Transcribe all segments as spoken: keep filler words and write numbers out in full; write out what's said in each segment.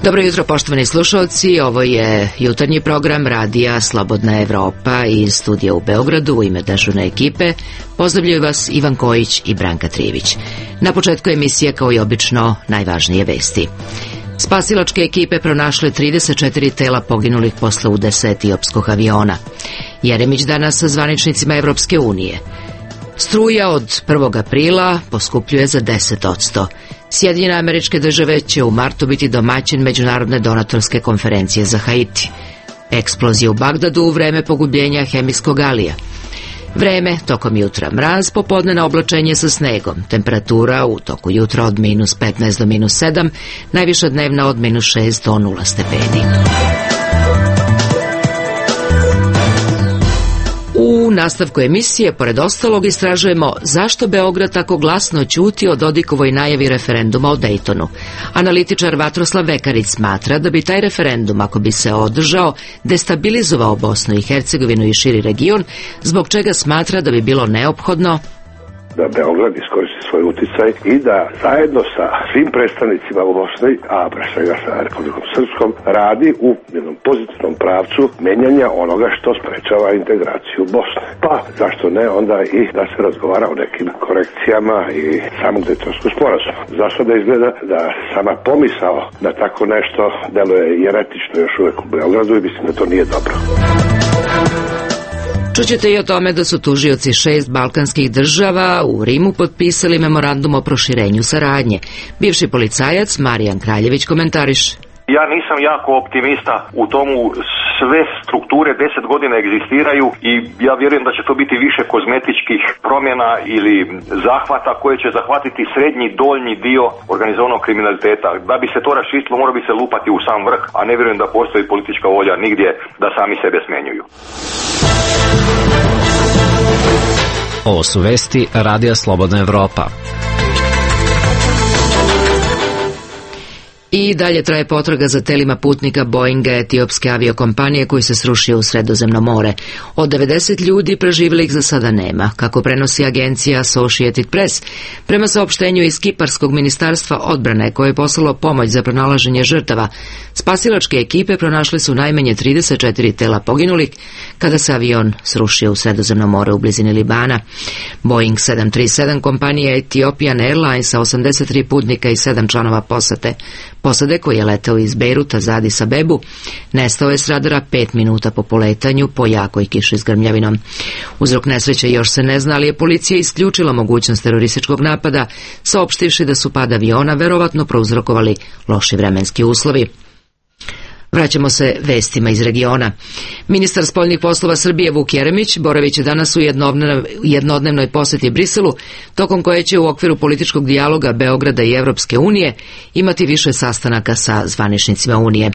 Dobro jutro, poštovani slušalci, ovo je jutarnji program Radija Slobodna Evropa iz studija u Beogradu. U ime dežurne ekipe pozdravljaju vas Ivan Kojić i Branka Trivić. Na početku emisije, kao i obično, najvažnije vesti. Spasilačke ekipe pronašle trideset četiri tela poginulih posle udesa etiopskog aviona. Jeremić danas sa zvaničnicima Evropske unije. Struja od prvog aprila poskupljuje za deset posto. Sjedinjene Američke Države će u martu biti domaćin međunarodne donatorske konferencije za Haiti. Eksplozija u Bagdadu u vreme pogubljenja hemijskog alija. Vreme, tokom jutra mraz, popodnevno oblačenje sa snegom. Temperatura u toku jutra od minus petnaest do minus sedam, najviša dnevna od minus šest do nula stepeni. U nastavku emisije, pored ostalog, istražujemo zašto Beograd tako glasno ćuti o Dodikovoj najavi referenduma o Dejtonu. Analitičar Vatroslav Vekarić smatra da bi taj referendum, ako bi se održao, destabilizovao Bosnu i Hercegovinu i širi region, zbog čega smatra da bi bilo neophodno da Beograd iskoristi svoj uticaj i da zajedno sa svim predstavnicima u Bosni, a pre svega sa Republikom Srpskom, radi u jednom pozitivnom pravcu menjanja onoga što sprečava integraciju Bosne. Pa, zašto ne, onda i da se razgovara o nekim korekcijama i samog Dejtonskog sporazuma. Zašto da izgleda da sama pomisao na tako nešto deluje jeretično još uvek u Beogradu i mislim da to nije dobro. Čućete i o tome da su tužioci šest balkanskih država u Rimu potpisali memorandum o proširenju saradnje. Bivši policajac Marijan Kraljević komentariše. Ja nisam jako optimista u tomu, sve strukture deset godina egzistiraju i ja vjerujem da će to biti više kozmetičkih promjena ili zahvata koje će zahvatiti srednji, doljnji dio organizovanog kriminaliteta. Da bi se to raščistilo, mora bi se lupati u sam vrh, a ne vjerujem da postoji politička volja nigdje da sami sebe smenjuju. Ovo su vesti Radija Slobodna Evropa. I dalje traje potraga za telima putnika Boeinga etiopske aviokompanije koji se srušio u Sredozemno more. Od devedeset ljudi preživjelih za sada nema, kako prenosi agencija Associated Press. Prema saopštenju iz Kiparskog ministarstva odbrane, koje je poslalo pomoć za pronalaženje žrtava, spasilačke ekipe pronašle su najmanje trideset četiri tela poginulih kada se avion srušio u Sredozemno more u blizini Libana. Boeing sedam tri sedam kompanije Ethiopian Airlines sa osamdeset tri putnika i sedam članova posade. Posade, koji je letao iz Bejruta za Adis Abebu, nestao je s radara pet minuta po poletanju po jakoj kiši s grmljavinom. Uzrok nesreće još se ne zna, ali je policija isključila mogućnost terorističkog napada, saopštivši da su pad aviona verovatno prouzrokovali loši vremenski uslovi. Vraćamo se vestima iz regiona. Ministar spoljnih poslova Srbije Vuk Jeremić boraviće danas u jednodnevnoj poseti Briselu, tokom koje će u okviru političkog dijaloga Beograda i Evropske unije imati više sastanaka sa zvaničnicima Unije.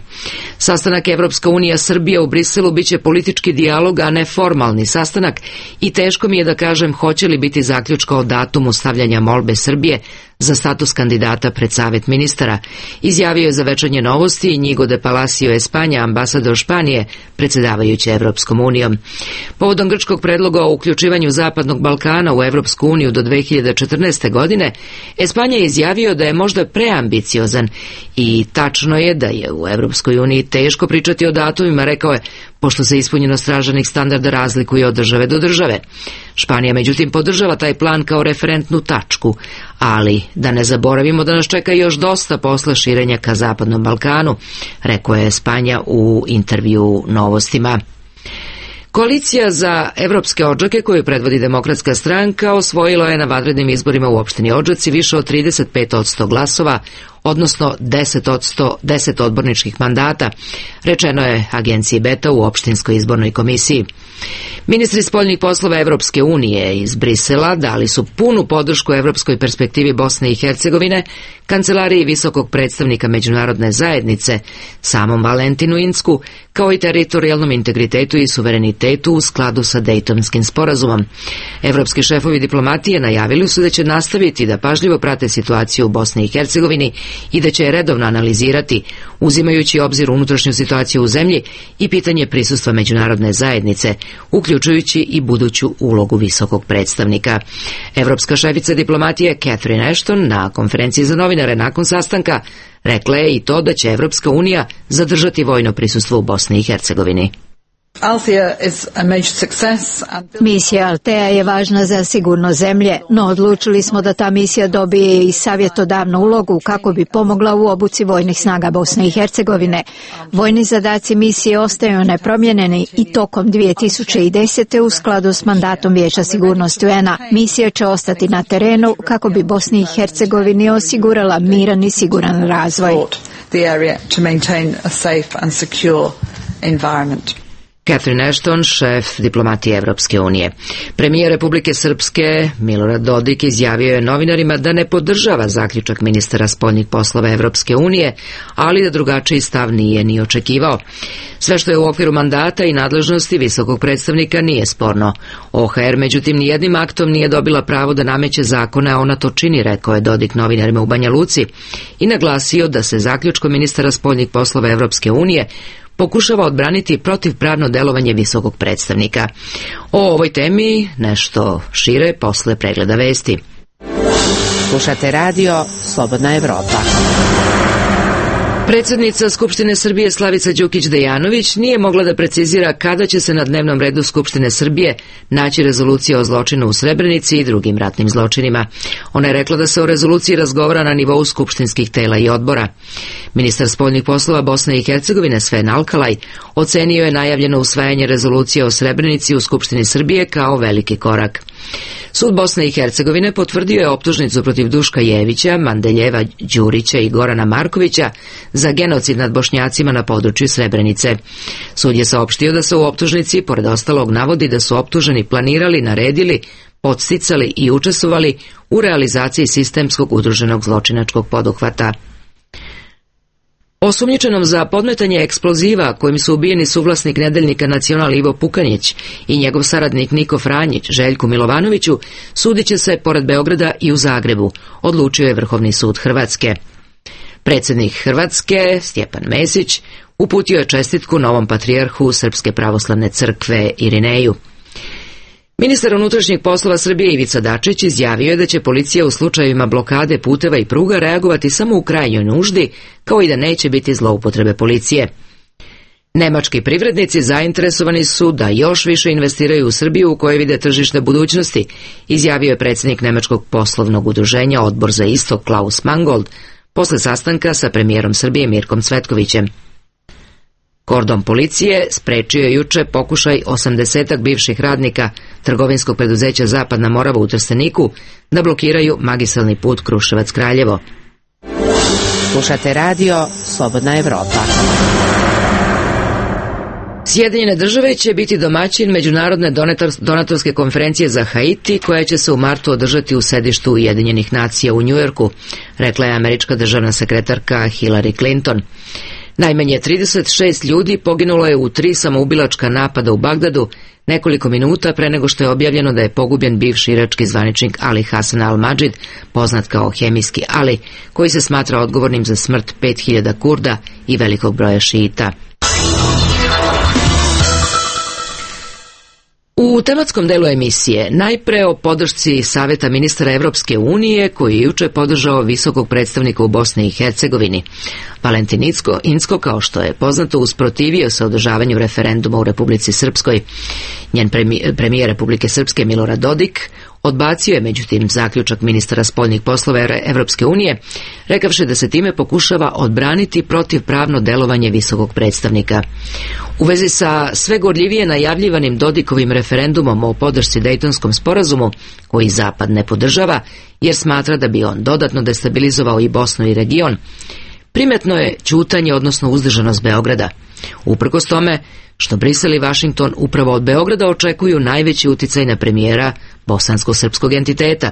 Sastanak Evropska unija Srbija u Briselu biće politički dijalog, a ne formalni sastanak, i teško mi je da kažem hoće li biti zaključka o datumu stavljanja molbe Srbije za status kandidata pred Savet ministara, izjavio je za Večernje novosti Inigo de Palacio Espanja, ambasador Španije, predsjedavajući Evropskom unijom. Povodom grčkog predloga o uključivanju Zapadnog Balkana u Evropsku uniju do dve hiljade četrnaeste. godine, Espanja je izjavio da je možda preambiciozan i tačno je da je u Evropskoj uniji teško pričati o datumima, rekao je, pošto se ispunjenost traženih standarda razlikuje od države do države. Španija međutim podržava taj plan kao referentnu tačku, ali da ne zaboravimo da nas čeka još dosta posla širenja ka Zapadnom Balkanu, rekao je Espanja u intervju Novostima. Koalicija za evropske Odžake, koju predvodi Demokratska stranka, osvojila je na vanrednim izborima u opštini Odžaci više od trideset pet posto glasova, odnosno deset posto deset odborničkih mandata, rečeno je agenciji Beta u opštinskoj izbornoj komisiji. Ministri spoljnih poslova Evropske unije iz Brisela dali su punu podršku evropskoj perspektivi Bosne i Hercegovine, kancelariji visokog predstavnika međunarodne zajednice, samom Valentinu Insku, kao i teritorijalnom integritetu i suverenitetu u skladu sa Dejtonskim sporazumom. Evropski šefovi diplomatije najavili su da će nastaviti da pažljivo prate situaciju u Bosni i Hercegovini i da će je redovno analizirati, uzimajući obzir unutrašnju situaciju u zemlji i pitanje prisustva međunarodne zajednice, uključujući i buduću ulogu visokog predstavnika. Evropska šefica diplomatije Catherine Ashton na konferenciji za novinare nakon sastanka rekla je i to da će Evropska unija zadržati vojno prisustvo u Bosni i Hercegovini. Misija Althea je važna za sigurnost zemlje, no odlučili smo da ta misija dobije i savjetodavnu ulogu kako bi pomogla u obuci vojnih snaga Bosne i Hercegovine. Vojni zadaci misije ostaju nepromijenjeni i tokom dvije tisuće desete. u skladu s mandatom Vijeća sigurnosti U N A. Misija će ostati na terenu kako bi Bosni i Hercegovini osigurala miran i siguran razvoj. Catherine Ashton, šef diplomatije Evropske unije. Premijer Republike Srpske Milorad Dodik izjavio je novinarima da ne podržava zaključak ministara spoljnih poslova Evropske unije, ali da drugačiji stav nije ni očekivao. Sve što je u okviru mandata i nadležnosti visokog predstavnika nije sporno. O H R međutim nijednim aktom nije dobila pravo da nameće zakone, a ona to čini, rekao je Dodik novinarima u Banja Luci i naglasio da se zaključkom ministara spoljnih poslova Evropske unije pokušava odbraniti protivpravno delovanje visokog predstavnika. O ovoj temi nešto šire posle pregleda vesti. Slušate radio Slobodna Evropa. Predsjednica Skupštine Srbije Slavica Đukić Dejanović nije mogla da precizira kada će se na dnevnom redu Skupštine Srbije naći rezolucija o zločinu u Srebrenici i drugim ratnim zločinima. Ona je rekla da se o rezoluciji razgovara na nivou skupštinskih tela i odbora. Ministar spoljnih poslova Bosne i Hercegovine Sven Alkalaj ocenio je najavljeno usvajanje rezolucije o Srebrenici u Skupštini Srbije kao veliki korak. Sud Bosne i Hercegovine potvrdio je optužnicu protiv Duška Jevića, Mandeljeva Đurića i Gorana Markovića za genocid nad Bošnjacima na području Srebrenice. Sud je saopštio da se u optužnici, pored ostalog, navodi da su optuženi planirali, naredili, podsticali i učestvovali u realizaciji sistemskog udruženog zločinačkog poduhvata. Osumnjičenom za podmetanje eksploziva kojim su ubijeni suvlasnik nedeljnika Nacional Ivo Pukanić i njegov saradnik Niko Franjić Željku Milovanoviću sudit će se pored Beograda i u Zagrebu, odlučio je Vrhovni sud Hrvatske. Predsjednik Hrvatske Stjepan Mesić uputio je čestitku novom patrijarhu Srpske pravoslavne crkve Irineju. Ministar unutrašnjih poslova Srbije Ivica Dačić izjavio je da će policija u slučajevima blokade puteva i pruga reagovati samo u krajnjoj nuždi, kao i da neće biti zloupotrebe policije. Nemački privrednici zainteresovani su da još više investiraju u Srbiju u kojoj vide tržište budućnosti, izjavio je predsjednik Nemačkog poslovnog udruženja Odbor za istok Klaus Mangold posle sastanka sa premijerom Srbije Mirkom Cvetkovićem. Kordon policije sprečio je juče pokušaj osamdesetak bivših radnika trgovinskog preduzeća Zapadna Morava u Trsteniku da blokiraju magistralni put Kruševac-Kraljevo. Slušate radio Slobodna Evropa. Sjedinjene države će biti domaćin Međunarodne donatorske konferencije za Haiti, koja će se u martu održati u sedištu Ujedinjenih nacija u Njujorku, rekla je američka državna sekretarka Hillary Clinton. Najmanje trideset šest ljudi poginulo je u tri samoubilačka napada u Bagdadu nekoliko minuta pre nego što je objavljeno da je pogubljen bivši irački zvaničnik Ali Hasan al-Madžid, poznat kao Hemijski Ali, koji se smatra odgovornim za smrt pet hiljada Kurda i velikog broja šijita. U tematskom delu emisije najpre o podršci Saveta ministara Evropske unije koji je juče podržao visokog predstavnika u Bosni i Hercegovini. Valentin Incko, Incko, kao što je poznato, usprotivio se održavanju referenduma u Republici Srpskoj. Njen premijer Republike Srpske Milorad Dodik odbacio je međutim zaključak ministara spoljnih poslova Evropske unije, rekavši da se time pokušava odbraniti protivpravno delovanje visokog predstavnika. U vezi sa sve gorljivije najavljivanim Dodikovim referendumom o podršci Dejtonskom sporazumu, koji Zapad ne podržava jer smatra da bi on dodatno destabilizovao i Bosnu i region, primetno je ćutanje, odnosno uzdržanost Beograda. Uprkos tome što Brisel i Vašington upravo od Beograda očekuju najveći uticaj na premijera bosansko-srpskog entiteta.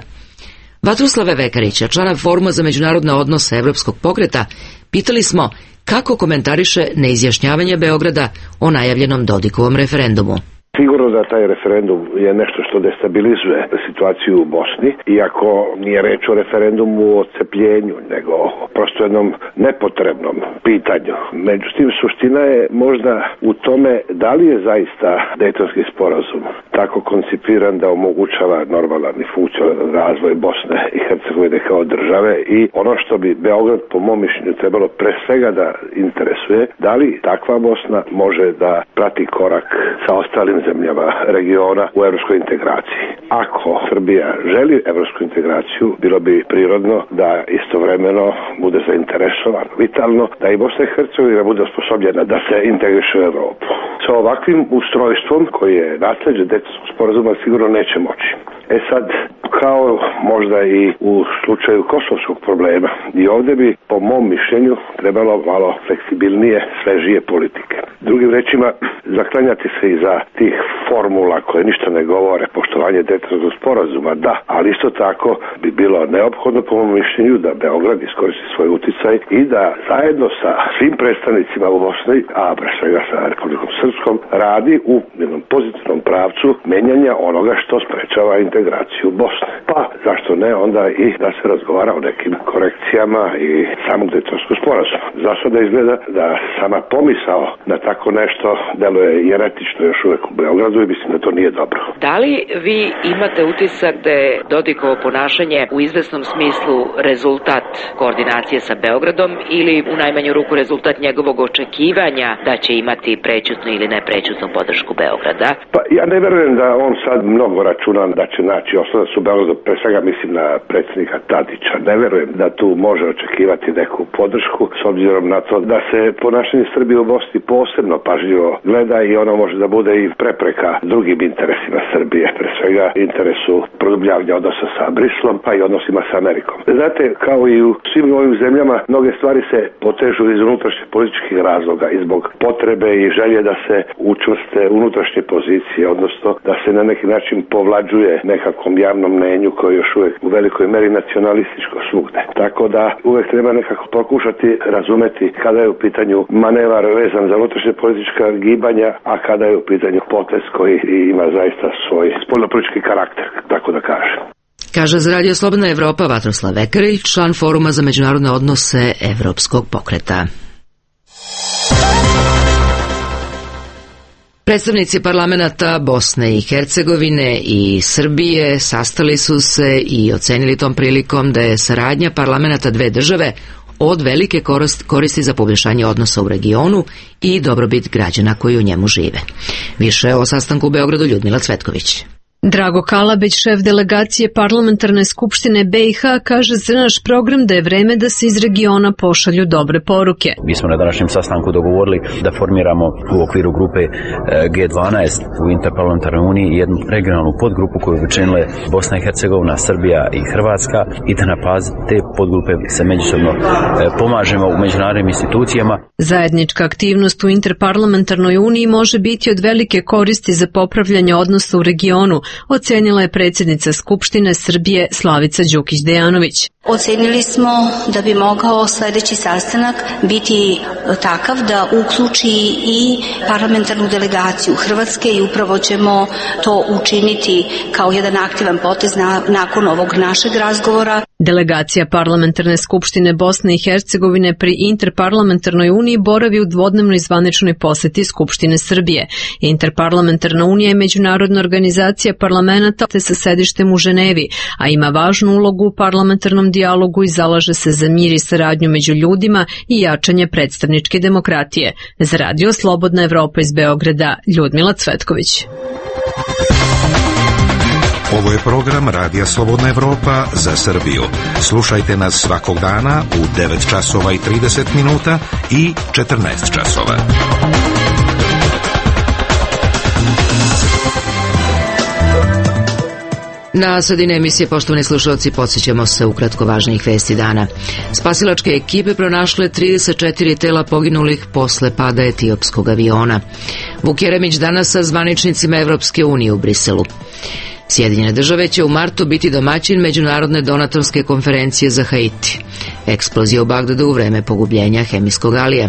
Vatruslava Vekarića, člana Foruma za međunarodne odnose Evropskog pokreta, pitali smo kako komentariše neizjašnjavanje Beograda o najavljenom Dodikovom referendumu. Sigurno sigurno da taj referendum je nešto što destabilizuje situaciju u Bosni, iako nije reč o referendumu o cepljenju, nego prosto jednom nepotrebnom pitanju. Međutim, suština je možda u tome da li je zaista Dejtonski sporazum tako koncipiran da omogućava normalan i funkcionalan razvoj Bosne i Hercegovine kao države, i ono što bi Beograd po mom mišljenju trebalo pre svega da interesuje, da li takva Bosna može da prati korak sa ostalim zemljama regiona u evropskoj integraciji. Ako Srbija želi evropsku integraciju, bilo bi prirodno da istovremeno bude zainteresovan, vitalno, da i Bosna i Hercegovina bude osposobljena da se integriše u Evropu. Sa ovakvim ustrojstvom koji je nasleđe Dejtonskog sporazuma sigurno neće moći. E sad, kao možda i u slučaju kosovskog problema, i ovdje bi po mom mišljenju trebalo malo fleksibilnije, svežije politike. Drugim rečima, zaklanjati se iza tih formula koje ništa ne govore, poštovanje Dejtonskog sporazuma, da, ali isto tako bi bilo neophodno po mom mišljenju da Beograd iskoristi svoj uticaj i da zajedno sa svim predstavnicima u Bosni, a pre svega sa Republikom Srpskom, radi u jednom pozitivnom pravcu menjanja onoga što sprečava integraciju Bosne. Pa, zašto ne, onda i da se razgovara o nekim korekcijama i samog Dejtonskog sporazuma. Zašto da izgleda da sama pomisao na tako nešto deluje jeretično još uvek u Beogradu i mislim da to nije dobro. Da li vi imate utisak da je Dodikovo ponašanje u izvesnom smislu rezultat koordinacije sa Beogradom ili u najmanju ruku rezultat njegovog očekivanja da će imati prećutnu ili neprećutnu podršku Beograda? Pa ja ne verujem da on sad mnogo računa da će naći oslonac u Beogradu, pre svega mislim na predsjednika Tadića. Ne verujem da tu može očekivati neku podršku s obzirom na to da se ponašanje Srbije u Bosni posebno pažljivo gleda i ono može da bude i prepreka drugim interesima Srbije, pre svega interesu produbljavanja odnosa sa Brislom, pa i odnosima sa Amerikom. Znate, kao i u svim ovim zemljama, mnoge stvari se potežu iz unutrašnjih političkih razloga i zbog potrebe i želje da se učvrste unutrašnje pozicije, odnosno da se na neki način povlađuje nekakvom javnom mnenju koje je još uvijek u velikoj meri nacionalističko svugde. Tako da uvek treba nekako pokušati razumeti kada je u pitanju manevar vezan za unutrašnje politička gibanja, a kada je u pitanju potez koji ima zaista svoj spoljnopolitički karakter, tako da kažem. Kaže za Radio Slobodna Evropa Vatroslav Vekarić, član Foruma za međunarodne odnose Evropskog pokreta. Predstavnici parlamenata Bosne i Hercegovine i Srbije sastali su se i ocenili tom prilikom da je saradnja parlamenata dve države od velike koristi za poboljšanje odnosa u regionu i dobrobit građana koji u njemu žive. Više o sastanku u Beogradu Ljudmila Cvetković. Drago Kalabeć, šef delegacije parlamentarne skupštine B i H, kaže za naš program da je vreme da se iz regiona pošalju dobre poruke. Mi smo na današnjem sastanku dogovorili da formiramo u okviru grupe G dvanaest u Interparlamentarnoj uniji jednu regionalnu podgrupu koju bi činile Bosna i Hercegovina, Srbija i Hrvatska i da na bazi te podgrupe se međusobno pomažemo u međunarodnim institucijama. Zajednička aktivnost u Interparlamentarnoj uniji može biti od velike koristi za popravljanje odnosa u regionu, ocenila je predsjednica Skupštine Srbije Slavica Đukić-Dejanović. Ocenili smo da bi mogao sljedeći sastanak biti takav da uključi i parlamentarnu delegaciju Hrvatske i upravo ćemo to učiniti kao jedan aktivan potez na, nakon ovog našeg razgovora. Delegacija parlamentarne skupštine Bosne i Hercegovine pri Interparlamentarnoj uniji boravi u dvodnevnoj zvaničnoj poseti Skupštine Srbije. Interparlamentarna unija je međunarodna organizacija parlamenata te sa sedištem u Ženevi, a ima važnu ulogu u parlamentarnom dijalogu i zalaže se za mir i saradnju među ljudima i jačanje predstavničke demokratije. Za Radio Slobodna Evropa iz Beograda, Ljudmila Cvetković. Ovo je program Radija Slobodna Evropa za Srbiju. Slušajte nas svakog dana u devet časova i trideset minuta i četrnaest časova. Na sredini emisije, poštovani slušalci, podsjećamo se ukratko važnijih vesti dana. Spasilačke ekipe pronašle trideset četiri tela poginulih posle pada etiopskog aviona. Vuk Jeremić danas sa zvaničnicima Evropske unije u Briselu. Sjedinjene države će u martu biti domaćin međunarodne donatorske konferencije za Haiti. Eksplozija u Bagdadu u vreme pogubljenja hemijskog alija.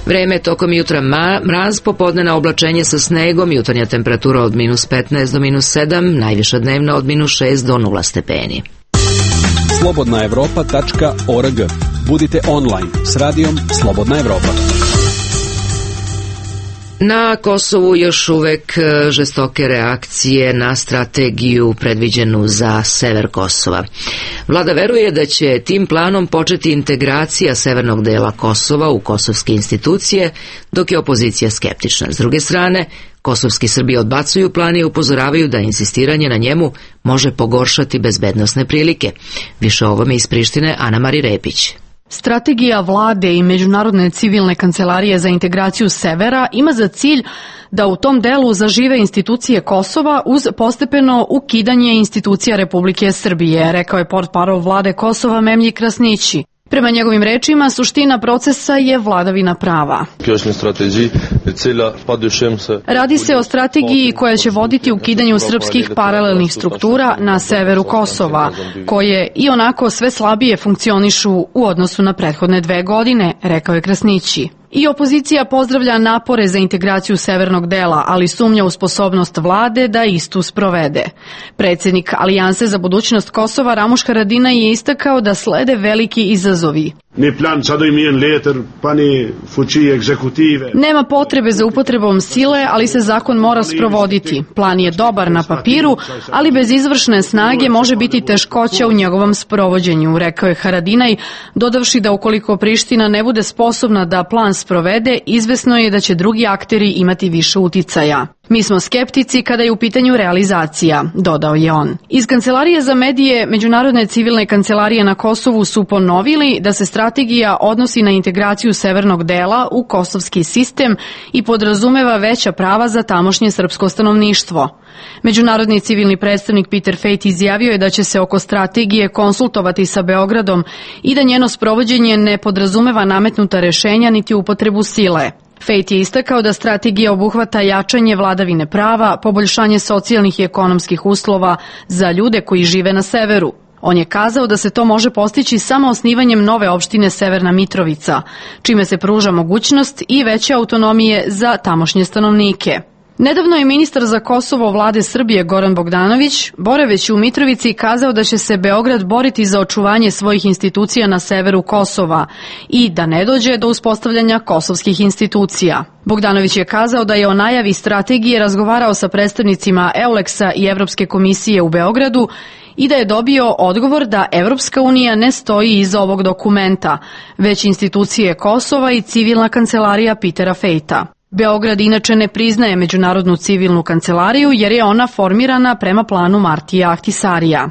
Vreme tokom jutra mraz, popodnevna oblačenje sa snegom, jutarnja temperatura od minus petnaest do minus sedam, najviša dnevna od minus šest do nula stepeni. slobodna evropa tačka org. Budite online s radijom Slobodna Evropa. Na Kosovu još uvek žestoke reakcije na strategiju predviđenu za sever Kosova. Vlada veruje da će tim planom početi integracija severnog dela Kosova u kosovske institucije, dok je opozicija skeptična. S druge strane, kosovski Srbi odbacuju plan i upozoravaju da insistiranje na njemu može pogoršati bezbednosne prilike. Više o ovome iz Prištine Ana Mari Repić. Strategija vlade i Međunarodne civilne kancelarije za integraciju severa ima za cilj da u tom delu zažive institucije Kosova uz postepeno ukidanje institucija Republike Srbije, rekao je portparol vlade Kosova Memlji Krasnići. Prema njegovim rečima, suština procesa je vladavina prava. Radi se o strategiji koja će voditi ukidanju srpskih paralelnih struktura na severu Kosova, koje i onako sve slabije funkcionišu u odnosu na prethodne dve godine, rekao je Krasnići. I opozicija pozdravlja napore za integraciju severnog dela, ali sumnja u sposobnost vlade da istu sprovede. Predsjednik Alijanse za budućnost Kosova Ramuš Haradinaj je istakao da slede veliki izazovi. Nema potrebe za upotrebom sile, ali se zakon mora sprovoditi. Plan je dobar na papiru, ali bez izvršne snage može biti teškoća u njegovom sprovođenju, rekao je Haradinaj, dodavši da ukoliko Priština ne bude sposobna da plan sprovede, izvesno je da će drugi akteri imati više uticaja. Mi smo skeptici kada je u pitanju realizacija, dodao je on. Iz Kancelarije za medije Međunarodne civilne kancelarije na Kosovu su ponovili da se strategija odnosi na integraciju severnog dela u kosovski sistem i podrazumeva veća prava za tamošnje srpsko stanovništvo. Međunarodni civilni predstavnik Peter Fejt izjavio je da će se oko strategije konsultovati sa Beogradom i da njeno sprovođenje ne podrazumeva nametnuta rešenja niti upotrebu sile. Fejt je istakao da strategija obuhvata jačanje vladavine prava, poboljšanje socijalnih i ekonomskih uslova za ljude koji žive na severu. On je kazao da se to može postići samo osnivanjem nove opštine Severna Mitrovica, čime se pruža mogućnost i veće autonomije za tamošnje stanovnike. Nedavno je ministar za Kosovo vlade Srbije Goran Bogdanović, boraveći u Mitrovici, kazao da će se Beograd boriti za očuvanje svojih institucija na severu Kosova i da ne dođe do uspostavljanja kosovskih institucija. Bogdanović je kazao da je o najavi strategije razgovarao sa predstavnicima Euleksa i Evropske komisije u Beogradu i da je dobio odgovor da Evropska unija ne stoji iza ovog dokumenta, već institucije Kosova i civilna kancelarija Petera Fejta. Beograd inače ne priznaje Međunarodnu civilnu kancelariju jer je ona formirana prema planu Martija Ahtisarija.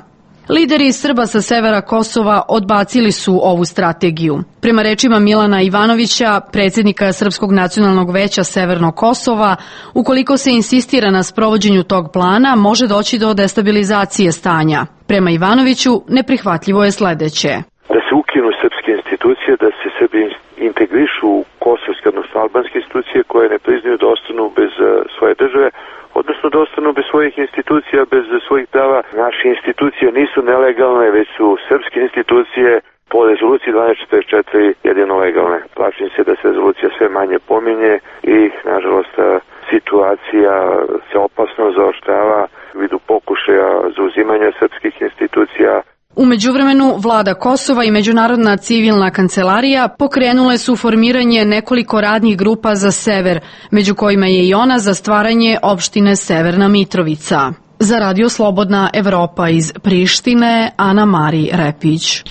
Lideri Srba sa severa Kosova odbacili su ovu strategiju. Prema rečima Milana Ivanovića, predsjednika Srpskog nacionalnog veća Severnog Kosova, ukoliko se insistira na sprovođenju tog plana, može doći do destabilizacije stanja. Prema Ivanoviću, neprihvatljivo je sledeće. Da se ukinu srpske institucije, da se Srbi integrišu u kosovske, odnosno albanske institucije koje ne priznaju da ostanu bez svoje države, odnosno da ostanu bez svojih institucija, bez svojih prava. Naše institucije nisu nelegalne, već su srpske institucije po rezoluciji dvanaest četrdeset četiri jedino legalne. Plašim se da se rezolucija sve manje pominje i, nažalost, situacija se opasno zaoštrava u vidu pokušaja zauzimanja srpskih institucija. U međuvremenu, vlada Kosova i Međunarodna civilna kancelarija pokrenule su formiranje nekoliko radnih grupa za sever, među kojima je i ona za stvaranje opštine Severna Mitrovica. Za Radio Slobodna Evropa iz Prištine, Ana Mari Repić.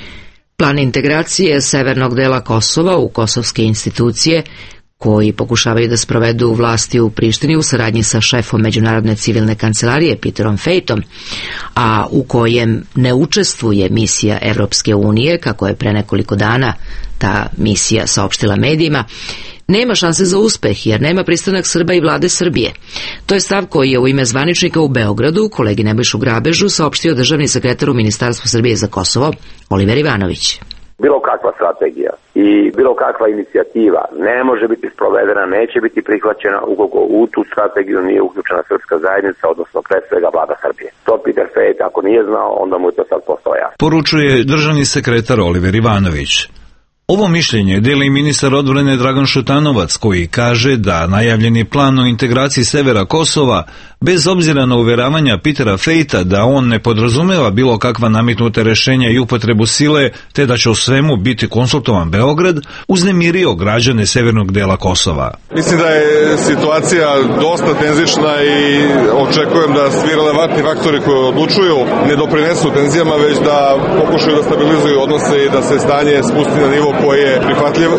Plan integracije severnog dela Kosova u kosovske institucije koji pokušavaju da sprovedu vlasti u Prištini u saradnji sa šefom Međunarodne civilne kancelarije Peterom Fejtom, a u kojem ne učestvuje misija Evropske unije, kako je pre nekoliko dana ta misija saopštila medijima, nema šanse za uspeh jer nema pristanak Srba i vlade Srbije. To je stav koji je u ime zvaničnika u Beogradu, kolegi Nebojšu Grabežu, saopštio državni sekretar u Ministarstvu Srbije za Kosovo, Oliver Ivanović. Bilo kakva strategija i bilo kakva inicijativa ne može biti sprovedena, neće biti prihvaćena ukoliko u tu strategiju nije uključena srpska zajednica, odnosno pre svega vlada Srbije. To Peter Fejt ako nije znao, onda mu je to sad postao jasno. Poručuje državni sekretar Oliver Ivanović. Ovo mišljenje deli ministar odbrane Dragan Šutanovac, koji kaže da najavljeni plan o integraciji severa Kosova, bez obzira na uveravanja Petera Fejta da on ne podrazumeva bilo kakva nametnuta rešenja i upotrebu sile, te da će o svemu biti konsultovan Beograd, uznemirio građane severnog dela Kosova. Mislim da je situacija dosta tenzična i očekujem da svi relevantni faktori koji odlučuju ne doprinesu tenzijama, već da pokušaju da stabilizuju odnose i da se stanje spusti na nivo koji je prihvatljiv.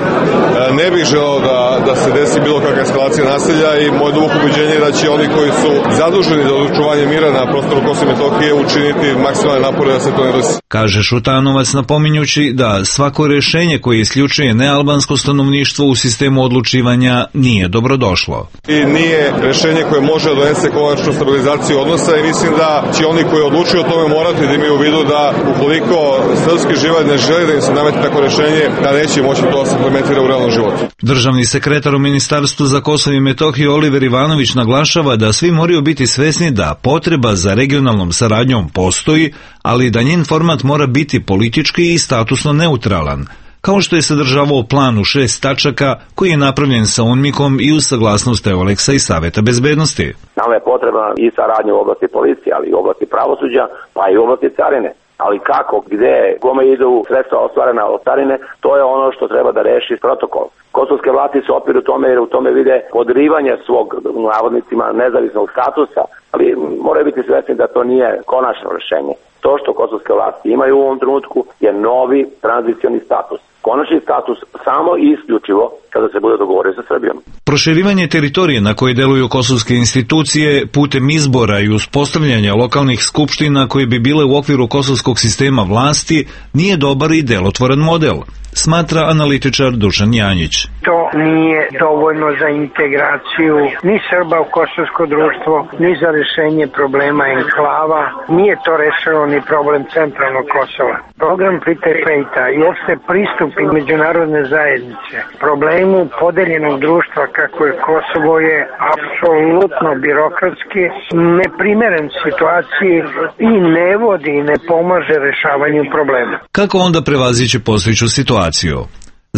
Ne bih želeo da, da se desi bilo kakva eskalacija nasilja i moje duboko ubeđenje je da će oni koji su zaduženi za očuvanje mira na prostoru Kosova i Metohije učiniti maksimalne napore da se to ne desi. Kaže Šutanovac, napominjući da svako rešenje koje isključuje nealbansko stanovništvo u sistemu odlučivanja nije dobrodošlo. I nije rešenje koje može da donese konačnu stabilizaciju odnosa i mislim da će oni koji odlučuju o tome morati da imaju u vidu da ukoliko srpski život ne želi da im se nameti tako rešenje, da neće moći to da se implementira u realnom životu. Državni sekretar u Ministarstvu za Kosovo i Metohiju Oliver Ivanović naglašava da svi moraju biti svesni da potreba za regionalnom saradnjom postoji, ali da njen format mora biti politički i statusno neutralan, kao što je sadržavao plan u šest tačaka koji je napravljen sa UNMIK-om i uz saglasnost Euleksa i Saveta bezbednosti. Nama je potrebna i saradnja u oblasti policije, ali i u oblasti pravosuđa, pa i u oblasti carine. Ali kako, gde, kome idu sredstva ostvarena od carine, to je ono što treba da reši protokol. Kosovske vlasti se opiru tome jer u tome vide podrivanje svog, u navodnicima, nezavisnog statusa, ali moraju biti svesni da to nije konačno rešenje. To što kosovske vlasti imaju u ovom trenutku je novi tranzicioni status. Konačni status samo i isključivo kada se bude dogovorio sa Srbijom. Proširivanje teritorije na koje deluju kosovske institucije putem izbora i uspostavljanja lokalnih skupština koje bi bile u okviru kosovskog sistema vlasti nije dobar i delotvoran model, smatra analitičar Dušan Janjić. To nije dovoljno za integraciju ni Srba u kosovsko društvo, ni za rešenje problema enklava. Nije to rešeno ni problem centralnog Kosova. Program Petera Fejta i uopšte pristup i međunarodne zajednice problemu podeljenog društva kako je Kosovo je apsolutno birokratski, neprimeren situaciji i ne vodi i ne pomaže rešavanju problema. Kako onda prevazići postojeću situaciju?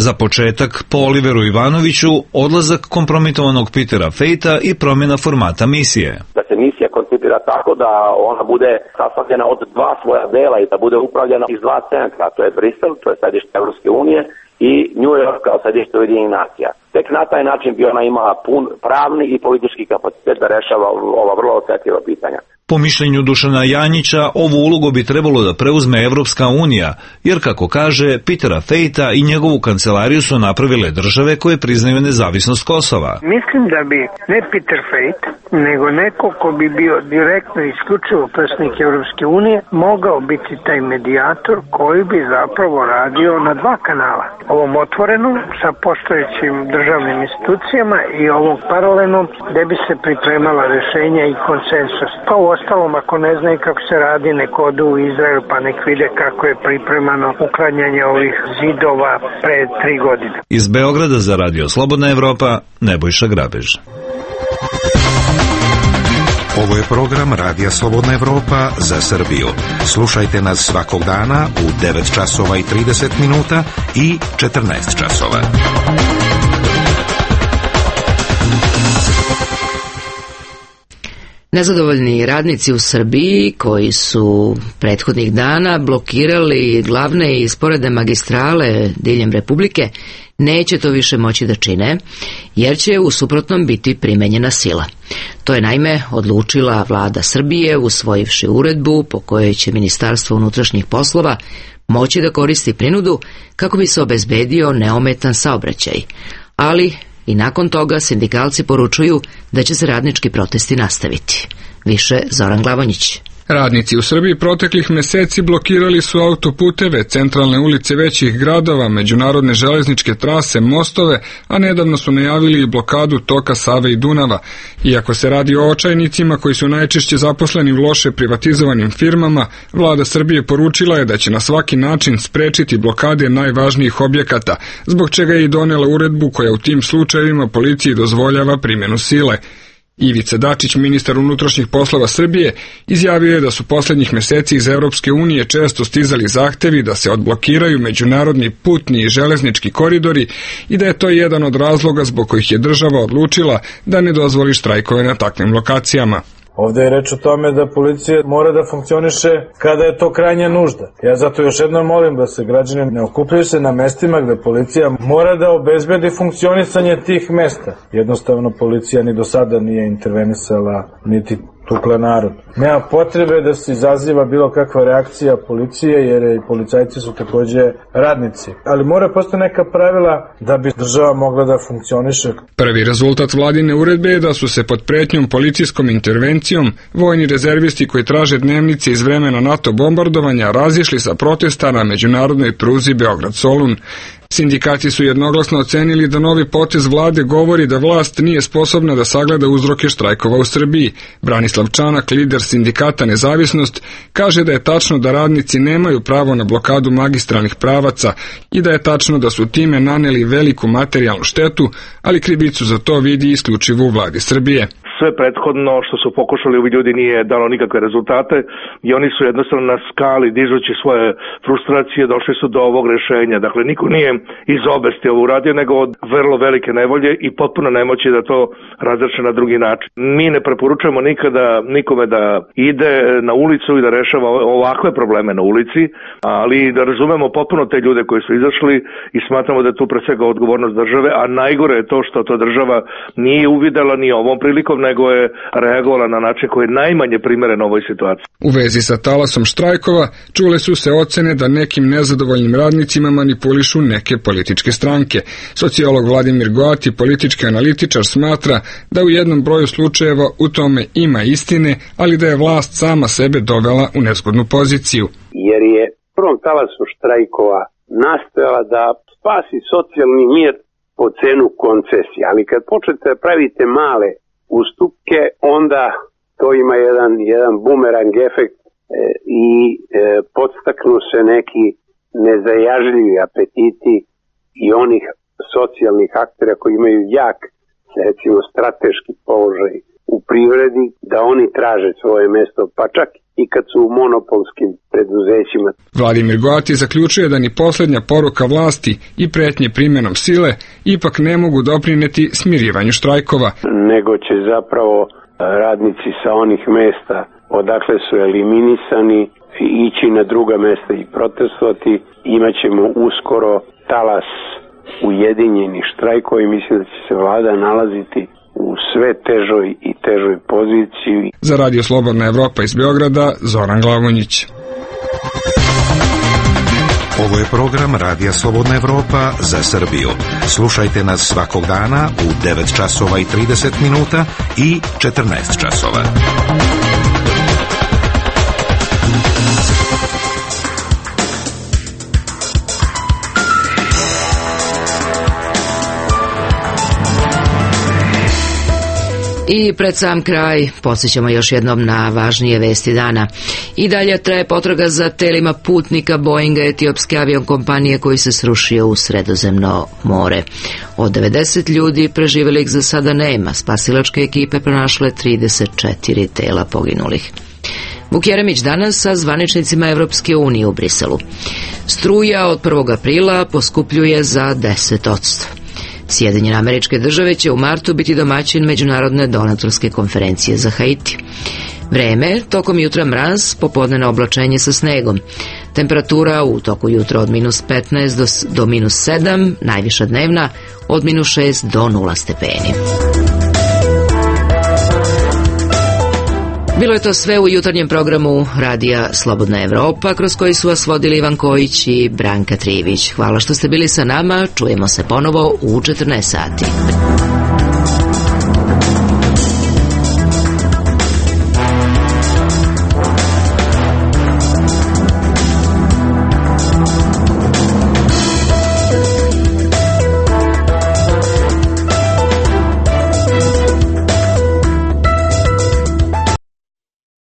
Za početak, po Oliveru Ivanoviću, odlazak kompromitovanog Petera Fejta i promjena formata misije. Da se misija koncipira tako da ona bude sastavljena od dva svoja dela i da bude upravljena iz dva centra, to je Brisel, to je sedište Evropske unije, i New York kao sedište Ujedinjenih nacija. Tek na taj način bi ona imala pun pravni i politički kapacitet da rešava ova vrlo osetljiva pitanja. Po mišljenju Dušana Janjića, ovu ulogu bi trebalo da preuzme Evropska unija, jer kako kaže, Petera Fejta i njegovu kancelariju su napravile države koje priznaju nezavisnost Kosova. Mislim da bi ne Peter Fejt, nego neko ko bi bio direktno i isključivo predstavnik Evropske unije, mogao biti taj medijator koji bi zapravo radio na dva kanala. Ovom otvorenom sa postojećim državnim institucijama i ovom paralelnom gde bi se pripremala rešenja i konsensus. Pa u ostalom, ako ne znaju kako se radi, nek odu u Izrael pa nek vide kako je pripremano uklanjanje ovih zidova pre tri godine. Iz Beograda za Radio Slobodna Evropa, Nebojša Grabež. Ovo je program Radija Slobodna Evropa za Srbiju. Slušajte nas svakog dana u devet časova i trideset minuta i četrnaest časova. Nezadovoljni radnici u Srbiji koji su prethodnih dana blokirali glavne i sporedne magistrale diljem Republike neće to više moći da čine, jer će u suprotnom biti primenjena sila. To je naime odlučila vlada Srbije usvojivši uredbu po kojoj će Ministarstvo unutrašnjih poslova moći da koristi prinudu kako bi se obezbedio neometan saobraćaj. Ali i nakon toga sindikalci poručuju da će se radnički protesti nastaviti. Više Zoran Glavonjić. Radnici u Srbiji proteklih meseci blokirali su autoputeve, centralne ulice većih gradova, međunarodne železničke trase, mostove, a nedavno su najavili i blokadu toka Save i Dunava. Iako se radi o očajnicima koji su najčešće zaposleni u loše privatizovanim firmama, vlada Srbije poručila je da će na svaki način sprečiti blokade najvažnijih objekata, zbog čega je i donela uredbu koja u tim slučajevima policiji dozvoljava primjenu sile. Ivica Dačić, ministar unutrašnjih poslova Srbije, izjavio je da su poslednjih meseci iz Evropske unije često stizali zahtevi da se odblokiraju međunarodni putni i železnički koridori i da je to jedan od razloga zbog kojih je država odlučila da ne dozvoli štrajkove na takvim lokacijama. Ovde je reč o tome da policija mora da funkcioniše kada je to krajnja nužda. Ja zato još jednom molim da se građani ne okupljaju se na mestima gde policija mora da obezbedi funkcionisanje tih mesta. Jednostavno policija ni do sada nije intervenisala niti tukla narod. Nema potrebe da se izaziva bilo kakva reakcija policije, jer i policajci su takođe radnici. Ali mora postoji neka pravila da bi država mogla da funkcioniše. Prvi rezultat vladine uredbe je da su se pod pretnjom policijskom intervencijom vojni rezervisti koji traže dnevnice iz vremena NATO bombardovanja razišli sa protesta na međunarodnoj pruzi Beograd-Solun. Sindikati su jednoglasno ocenili da novi potez vlade govori da vlast nije sposobna da sagleda uzroke štrajkova u Srbiji. Branislav Čanak, lider sindikata Nezavisnost, kaže da je tačno da radnici nemaju pravo na blokadu magistralnih pravaca i da je tačno da su time naneli veliku materijalnu štetu, ali krivicu za to vidi isključivo u vladi Srbije. Sve prethodno što su pokušali ovi ljudi nije dalo nikakve rezultate i oni su jednostavno na skali, dižući svoje frustracije, došli su do ovog rešenja. Dakle, niko nije iz obesti ovo uradio, nego od vrlo velike nevolje i potpuno nemoći da to razreše na drugi način. Mi ne preporučujemo nikada nikome da ide na ulicu i da rešava ovakve probleme na ulici, ali da razumemo potpuno te ljude koji su izašli i smatramo da je tu pre svega odgovornost države, a najgore je to što to država nije uvidela ni ovom prilikom, nego je reagovala na način koji je najmanje primeren ovoj situaciji. U vezi sa talasom štrajkova čule su se ocene da nekim nezadovoljnim radnicima manipulišu neke političke stranke. Sociolog Vladimir Goati, politički analitičar, smatra da u jednom broju slučajeva u tome ima istine, ali da je vlast sama sebe dovela u nezgodnu poziciju. Jer je prvom talasu štrajkova nastojala da spasi socijalni mir po cenu koncesije, ali kad počnete da pravite male ustupke, onda to ima jedan, jedan bumerang efekt e, i e, podstaknu se neki nezajažljivi apetiti i onih socijalnih aktera koji imaju jak, recimo strateški položaj u privredi, da oni traže svoje mesto, pa čak i kad su u monopolskim preduzećima. Vladimir Goati zaključuje da ni poslednja poruka vlasti i pretnje primjenom sile ipak ne mogu doprineti smirivanju štrajkova. Nego će zapravo radnici sa onih mesta odakle su eliminisani ići na druga mesta i protestovati. Imaćemo uskoro talas ujedinjenih štrajkova i mislim da će se vlada nalaziti u sve težoj i težoj poziciji. Za Radio Slobodna Evropa iz Beograda, Zoran Glavonjić. Ovo je program Radija Slobodna Evropa za Srbiju. Slušajte nas svakog dana u devet časova i trideset minuta i četrnaest časova. I pred sam kraj podsjećamo još jednom na važnije vesti dana. I dalje traje potraga za telima putnika Boeinga etiopske aviokompanije koji se srušio u Sredozemno more. Od devedeset ljudi preživjelih za sada nema. Spasilačke ekipe pronašle trideset četiri tela poginulih. Vuk Jeremić danas sa zvaničnicima Evropske unije u Briselu. Struja od prvog aprila poskupljuje za deset posto. Sjedinjene Američke Države će u martu biti domaćin međunarodne donatorske konferencije za Haiti. Vreme, tokom jutra mraz, popodnevno oblačenje sa snegom. Temperatura u toku jutra od minus petnaest do, do minus sedam, najviša dnevna od minus šest do nula stepeni. Bilo je to sve u jutarnjem programu Radija Slobodna Evropa, kroz koji su vas vodili Ivan Kojić i Branka Trivić. Hvala što ste bili sa nama, čujemo se ponovo u četrnaest sati.